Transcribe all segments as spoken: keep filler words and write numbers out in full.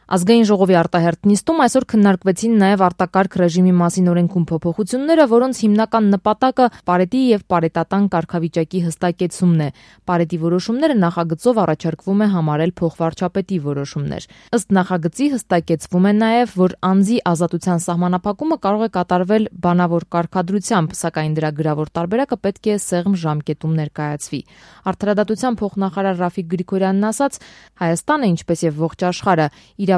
Ազգային ժողովի արտահերթ նիստում այսօր քննարկվեցին նաև արտակարգ ռեժիմի մասին օրենքում փոփոխությունները, որոնց հիմնական նպատակը պարետի եւ պարետատան կարգավիճակի հստակեցումն է։ Պարետի որոշումները նախագծով առաջարկվում է համարել փոխվարչապետի որոշումներ։ Ըստ նախագծի հստակեցվում է նաև, որ անձի ազատության սահմանափակումը կարող է կատարվել բանավոր կարգադրությամբ, սակայն դրա գրավոր տարբերակը պետք է սեղմ ժամկետում ներկայացվի։ Արդարադատության փոխնախարար Ռաֆիկ Գրիգորյանն ասաց, Հայաստանը, ինչպես եւ ողջ աշխարհը,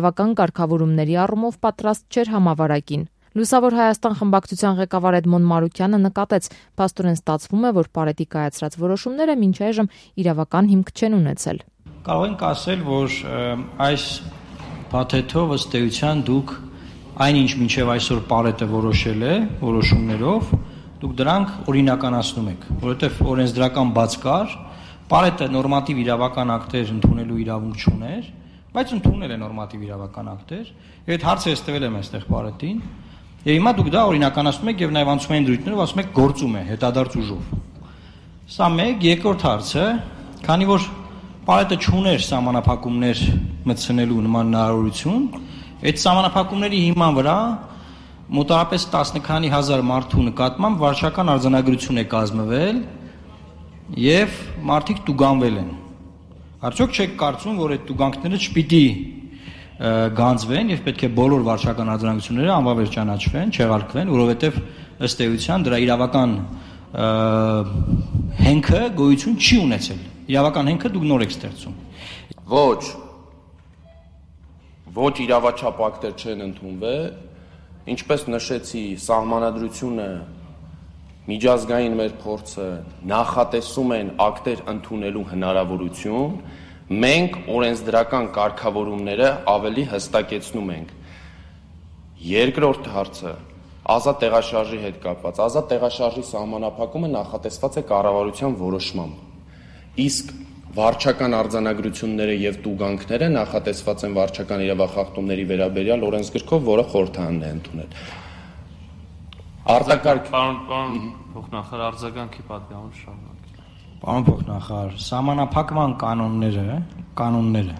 իրավական կարգավորումների առումով պատրաստ չէր համավարակին։ Լուսավոր Հայաստան խմբակցության ղեկավար Էդմոն Մարուկյանը նկատեց, փաստորեն ստացվում է, որ պարետի կայացրած որոշումները մինչ այժմ իրավական հիմք չեն ունեցել։ Կարող ենք ասել, որ այս փաթեթով ըստ էության դուք այնինչ մինչև այսօր պարետը որոշել է որոշումներով, դուք դրանք օրինականացնում եք, որովհետև օրենսդրական բաց կար, պարետը նորմատիվ իրավական ակտեր ընդունելու իրավունք չուներ, բայց ընդունել է նորմատիվ իրավական ակտեր, եւ այդ հարցը ես տվել եմ այստեղ պարետին, եւ հիմա դուք դա օրինականացնում եք եւ նաեւ անցումային դրույթներով ասում եք գործում է հետադարձ ուժով։ Սա մեկ, երկրորդ հարցը, քանի որ պարետը չուներ սահմանափակումներ մտցնելու նման հնարավորություն, այդ սահմանափակումների հիման վրա մոտավորապես տասը քանի հազար մարդու նկատմամբ վարչական արձանագրություն է կազմվել եւ մարդիկ տուգանվել են։ Արդյոք չեք կարծում, որ այդ տուգանքները չպիտի գանձվեն եւ պետք է բոլոր վարչական արձանագրությունները անվավեր ճանաչվեն, չեղարկվեն, որովհետեւ ըստ էության դրա իրավական հենքը գոյություն չի ունեցել։ Իրավական հենքը դուք նոր եք ստեղծում։ Ոչ։ Ոչ իրավաչափ ակտեր չեն ընդունվել, ինչպես նշեցի, սահմանադրությունը միջազգային մեր փորձը նախատեսում են ակտեր ընդունելու հնարավորություն, մենք օրենսդրական կարգավորումները ավելի հստակեցնում ենք։ Երկրորդ հարցը ազատ տեղաշարժի հետ կապված։ Ազատ տեղաշարժի սահմանափակումը նախատեսված է կառավարության որոշմամբ։ Իսկ վարչական արձանագրությունները եւ տուգանքները նախատեսված են վարչական իրավախախտումների վերաբերյալ օրենսգրքով, որը խորհրդարանն է ընդունել։ Արտակարգ Պարոն, պարոն փոխնախարար, արձագանքի պատգամը շարունակել։ Պարոն փոխնախարար, սահմանափակման կանոնները, կանոնները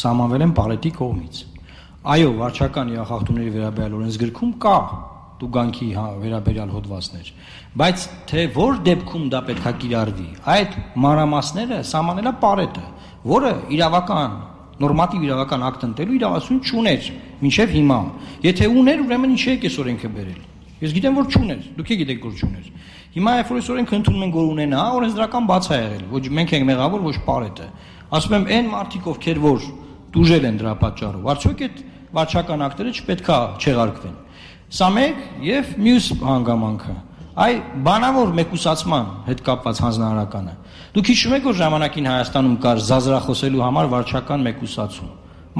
սահմանվել են պարետի կողմից։ Այո, վարչական իրավախախտումների վերաբերյալ օրենսգրքում կա տուգանքի վերաբերյալ հոդվածներ, բայց թե որ դեպքում դա պետք է կիրառվի, այդ մանրամասները սահմանել է պարետը, որը իրավական նորմատիվ իրավական ակտ ընտրելու իրավասություն չուներ մինչև հիմա։ Եթե ուներ, ուրեմն ինչի եք այս օրենքը բերել։ Ես գիտեմ, որ չուներ, դուք եք գիտեք, որ չուներ։ Հիմա երբ որ այս օրենքը ընդունում են, որ ունենա, օրենսդրական բաց է եղել, ոչ մենք ենք մեղավոր, ոչ պարետը։ Ասում եմ, այն մարդիկ, ովքեր որ դուժել են դրա պատճառով, արդյոք այդ վարչական ակտերը չպետքա չեղարկվեն։ Սա մեկ եւ մյուս հանգամանքը։ Այ բանավոր մեկուսացման հետ կապված հանձնարարականը։ Դուք հիշում եք, որ ժամանակին Հայաստանում կար զազրախոսելու համար վարչական մեկուսացում։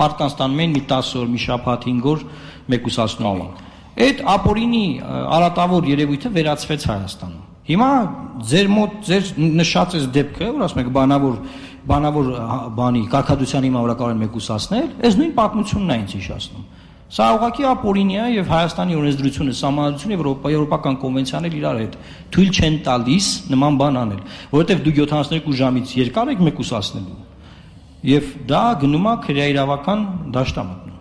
Մարդկանց տանում էին մի տասը օր, մի շաբաթ, հինգ օր մեկուսացնում էին։ Այդ ապօրինի արատավոր երևույթը վերացվեց Հայաստանում։ Հիմա ձեր մոտ ձեր նշած այս դեպքը, որ ասում եք բանավոր բանավոր բանի կարգադրության հիմա վրա կարող են մեկուսացնել, այս նույն պատմությունն է ինձ հիշացնում։ Սա ուղղակի ապօրինի է եւ Հայաստանի օրենսդրությունը, սահմանադրությունը, եվրոպական կոնվենցիաներ իրար հետ թույլ չեն տալիս նման բան անել, որովհետեւ դուք յոթանասունեքու ժամից երկար եք մեկուսացնելու եւ դա գնում է քրեաիրավական դաշտամտնում։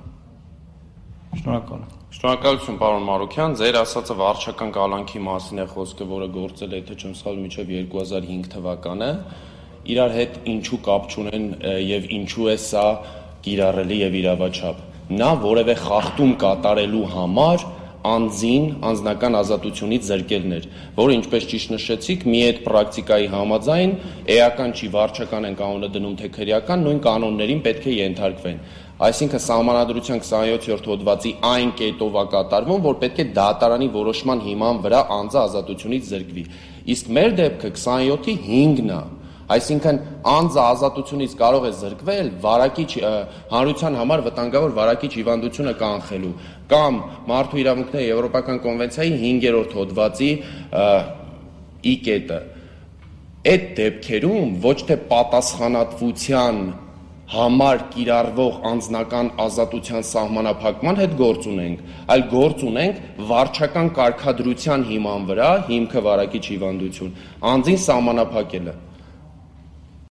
Շնորհակալ եմ։ Շնորհակալություն, պարոն Մարուկյան, ձեր ասածը վարչական կալանքի մասին է խոսքը, որը գործել է, եթե չեմ սխալվում, մինչև երկու հազար հինգ թվականը, իրար հետ ինչու կապ չունեն եւ ինչու է սա կիրառելի եւ իրավաչափ։ Նա որևէ խախտում կատարելու համար անձին անձնական ազատությունից զրկելներ, որը ինչպես ճիշտ նշեցիք, մի այդ պրակտիկայի համաձայն էական չի վարչական են կանոնը դնում թե քրեական, նույն կանոններին պետք է ենթարկվեն։ Այսինքն սահմանադրության քսանյոթերորդ հոդվածի այն կետով է կատարվում, որ պետք է դատարանի որոշման հիման վրա անձը ազատությունից զրկվի։ Իսկ մեր դեպքը քսանյոթի հինգն է։ Այսինքն անձը ազատությունից կարող է զրկվել վարակիչ հանրության համար վտանգավոր վարակիչ հիվանդությունը կանխելու կամ մարդու իրավունքների եվրոպական կոնվենցիայի հինգերորդ հոդվածի ի կետը։ Այդ դեպքերում ոչ թե պատասխանատվության համար կիրառվող անձնական ազատության սահմանափակման հետ գործ ունենք, այլ գործ ունենք վարչական կարգադրության հիման վրա հիմքը վարակիչ հիվանդություն, անձին սահմանափակելը։